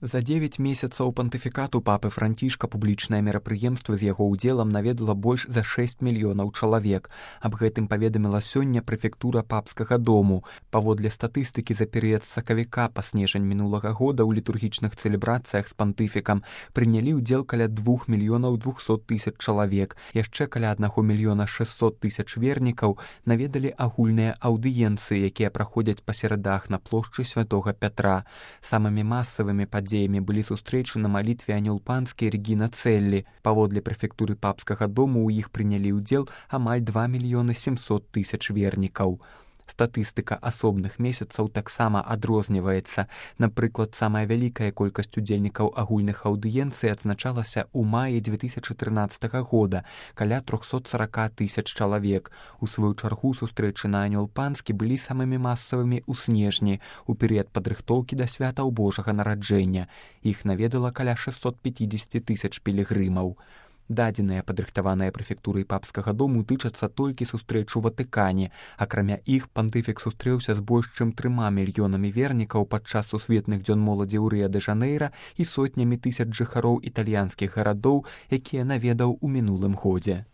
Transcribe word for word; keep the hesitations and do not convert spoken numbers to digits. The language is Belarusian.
За дзевяць месяцаў пантыфікату папы Францішка публічнае мерапрыемства з яго ўдзелам наведала больш за шэсць мільёнаў чалавек. Аб гэтым паведаміла сёння прэфектура папскага дому. Паводле статыстыкі за перыяд з сакавіка па снежань мінулага года ў літургічных цэлебрацыях з пантыфікам прынялі ўдзел каля двух мільёнаў двухсот тысяч чалавек. Яшчэ каля аднаго мільёна шэсцьсот тысяч вернікаў наведалі агульныя аўдыенцыі, якія праходзяць па серадах на плошчы святога Пятра. Самымі масавымі падзеямі былі сустрэчы на малітве Анёл Панскі і Рэгіна Цэллі. Паводле прэфектуры папскага дому ў іх прынялі ўдзел амаль два мільёны сямсот тысяч вернікаў. Статыстыка асобных месяцаў таксама адрозніваецца. Напрыклад, самая вялікая колькасць удзельнікаў агульных аўдыенцый адзначалася ў маі дзве тысячы трынаццатага года, каля трохсот сорок тысяч чалавек. У сваю чаргу сустрэчы на Анёл Панскі былі самымі масавымі ў снежні, у перыяд падрыхтоўкі да святаў Божага нараджэння. Іх наведала каля шэсцьсот пяцьдзесят тысяч пілігрымаў. Дадзеныя, падрыхтаваныя прэфектурай папскага дому, тычацца толькі сустрэч у Ватыкане. Акрамя іх, пантыфік сустрэўся з больш чым трыма мільёнамі вернікаў падчас сусветных дзён моладзі ў Рыа-дэ-Жанэйра і сотнямі тысяч жыхароў італьянскіх гарадоў, якія наведаў у мінулым годзе.